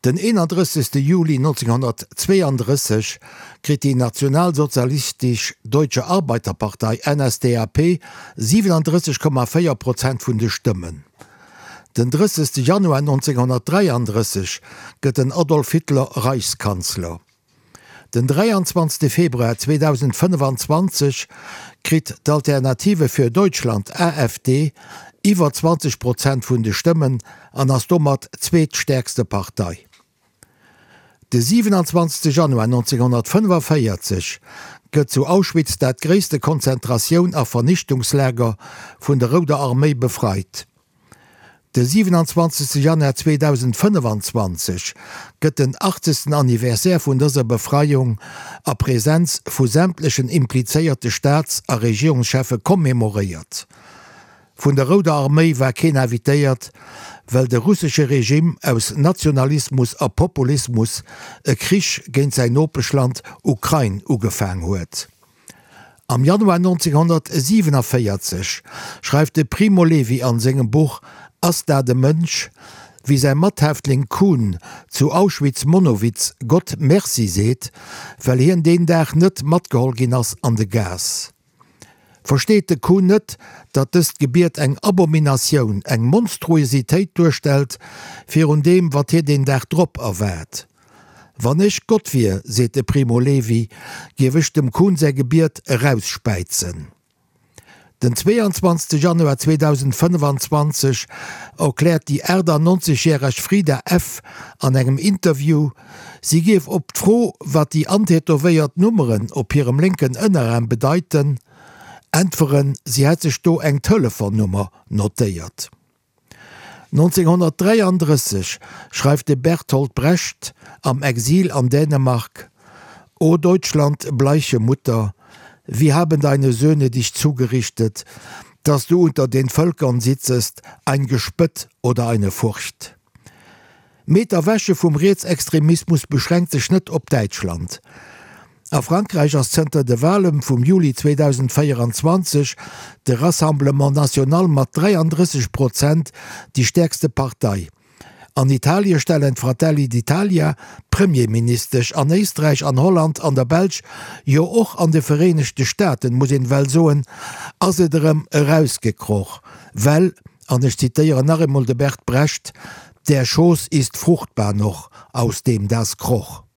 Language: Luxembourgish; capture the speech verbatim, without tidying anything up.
Den eenandrëssegste Juli nonzénghonnertzweeandrësseg kritt déi Nationalsozialistisch Deutsche Arbeiterpartei, N S D A P, siwenandrësseg Komma véier Prozent vun de Stëmmen. Den drëssegste Januar nonzénghonnertdräiandrësseg gëtt den Adolf Hitler Reichskanzler. Den dräianzwanzegste Februar zweedausendfënnefanzwanzeg kritt d'Alternative für Deutschland, A F D, iwwer zwanzeg Prozent vun de Stëmmen an ass domat zweetstäerkste Partei. De siwenanzwanzegste Januar nonzénghonnertfënnefavéierzeg gëtt zu Auschwitz dat gréisste Konzentratioun a Vernichtungslager vun der Rouder Arméi befreit. De siwenanzwanzegste Januar zweedausendfënnefanzwanzeg gëtt den achtzegsten Anniversaire vun dëser Befreiung a Presenz vu sämtlechen implizéierte Staats a Regierungscheffe kommemoréiert. Vun der Rouder Arméi war keen invitéiert, well de russesche Regime aus Nationalismus a Populismus e Krich géint säin Nopeschland Ukrain ugefaang huet. Am Januar nonzénghonnertsiewenavéierzeg schreift de Primo Levi an sengem Buch Ass dat e Mënsch, wéi säi Mathäftling Kuhn zu Auschwitz-Monowitz Gott Merci seet, well hien deen Dag net matgeholl ginn ass an de Gas. Versteet de Kuhn net, datt dëst Gebiet eng Abominatioun, eng Monstruositéit duerstellt, virun deem, wat hien deen Dag drop erwaart? Wann ech Gott wier, seet de Primo Levi, géif ech dem Kuhn säi Gebiet erausspäizen. Den zweeanzwanzegste Januar zweedausendfënnefanzwanzeg erkläert déi aachtannonzeg-järeg Frida F. an engem Interview, si géif op d'Fro, wat déi antätowéiert Nummeren op hirem lénken Ënneraarm bedeiten, äntweren, si hätt sech do eng Telefonnummer notéiert. Nonzénghonnertdräiandrësseg schreift de Bertolt Brecht am Exil an Dänemark: O Deutschland, bleiche Mutter, wie haben deine Söhne dich zugerichtet, dass du unter den Völkern sitzest, ein Gespött oder eine Furcht. Mee d'Erwäche vum Rietsextremismus beschränkt sech net op Däitschland. A Frankräich ass zënter de Wale vum Juli zweedausendvéieranzwanzeg de Rassemblement National mat dräiandrësseg Prozent déi stäerkste Partei. An Italie stellen d'Fratelli d'Italia d'Premierministesch, an Éisträich, an Holland, an der Belsch, jo och an de Vereenegte Staaten, muss een well soen, ass et erëm erausgekroch, well, an ech zitéieren nach eemol de Bert Brecht, Der Schoß ist fruchtbar noch, aus dem das kroch.